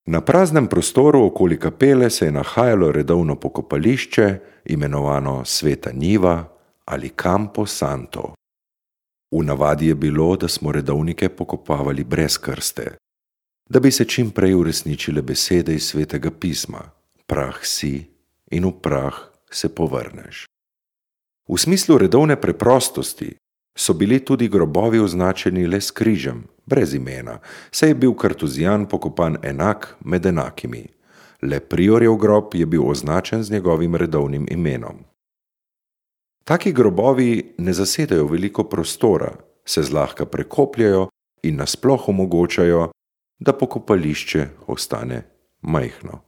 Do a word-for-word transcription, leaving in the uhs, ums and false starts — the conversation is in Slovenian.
Na praznem prostoru okoli kapele se je nahajalo redovno pokopališče, imenovano Sveta njiva ali Campo Santo. V navadi je bilo, da smo redovnike pokopavali brez krste, da bi se čim prej uresničile besede iz Svetega pisma: prah si in v prah se povrneš. V smislu redovne preprostosti so bili tudi grobovi označeni le s križem, brez imena, saj je bil kartuzijan pokopan enak med enakimi. Le priorjev grob je bil označen z njegovim redovnim imenom. Taki grobovi ne zasedajo veliko prostora, se zlahka prekopljajo in nasploh omogočajo, da pokopališče ostane majhno.